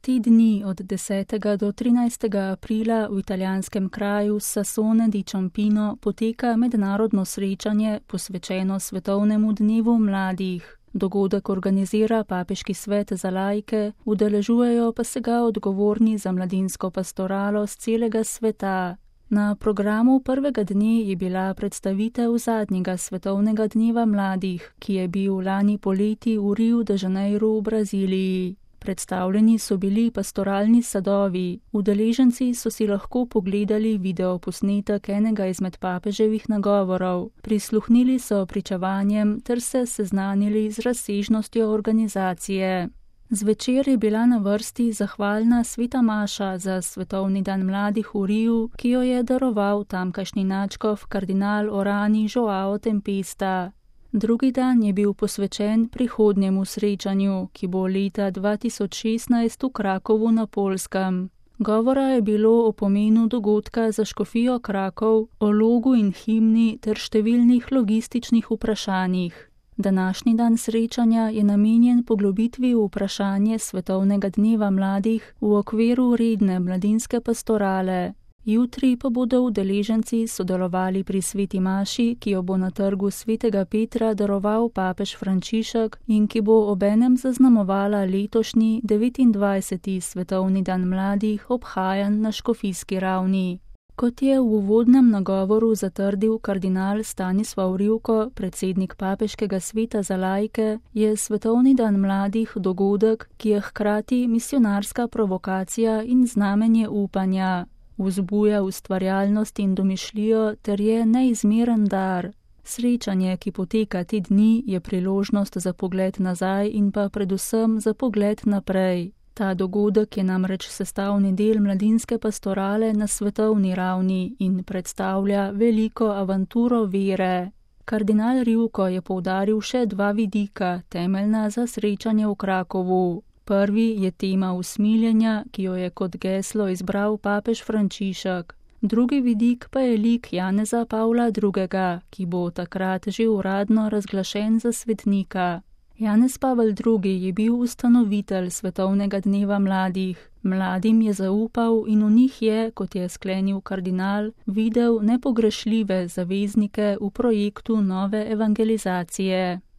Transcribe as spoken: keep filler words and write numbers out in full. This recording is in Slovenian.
Te dni od desetega do trinajstega aprila v italijanskem kraju Sassone di Ciampino poteka mednarodno srečanje posvečeno Svetovnemu dnevu mladih. Dogodek organizira Papeški svet za laike, udeležujejo pa se ga odgovorni za mladinsko pastoralo z celega sveta. Na programu prvega dne je bila predstavitev zadnjega Svetovnega dneva mladih, ki je bil lani poleti v Riu de Janeiru v Braziliji. Predstavljeni so bili pastoralni sadovi, udeleženci so si lahko pogledali videoposnetek enega izmed papeževih nagovorov, prisluhnili so pričevanjem ter se seznanili z razsežnostjo organizacije. Zvečer je bila na vrsti zahvalna sveta maša za Svetovni dan mladih v Riu, ki jo je daroval tamkajšnji nadškof kardinal Orani Joao Tempesta. Drugi dan je bil posvečen prihodnjemu srečanju, ki bo leta dva tisoč šestnajst v Krakovu na Poljskem. Govora je bilo o pomenu dogodka za škofijo Krakov, o logu in himni ter številnih logističnih vprašanjih. Današnji dan srečanja je namenjen poglobitvi v vprašanje Svetovnega dneva mladih v okviru redne mladinske pastorale. Jutri pa bodo udeleženci sodelovali pri sveti maši, ki jo bo na trgu svetega Petra daroval papež Frančišek in ki bo obenem zaznamovala letošnji devetindvajseti Svetovni dan mladih, obhajan na škofijski ravni. Kot je v uvodnem nagovoru zatrdil kardinal Stanislav Rivko, predsednik Papeškega sveta za laike, je Svetovni dan mladih dogodek, ki je hkrati misionarska provokacija in znamenje upanja. Vzbuja ustvarjalnost in domišljijo ter je neizmeren dar. Srečanje, ki poteka te dni, je priložnost za pogled nazaj in pa predvsem za pogled naprej. Ta dogodek je namreč sestavni del mladinske pastorale na svetovni ravni in predstavlja veliko avanturo vere. Kardinal Rivko je poudaril še dva vidika, temeljna za srečanje v Krakovu. Prvi je tema usmiljenja, ki jo je kot geslo izbral papež Frančišek. Drugi vidik pa je lik Janeza Pavla drugega, ki bo takrat že uradno razglašen za svetnika. Janez Pavel drugi je bil ustanovitelj Svetovnega dneva mladih. Mladim je zaupal in v njih je, kot je sklenil kardinal, videl nepogrešljive zaveznike v projektu nove evangelizacije.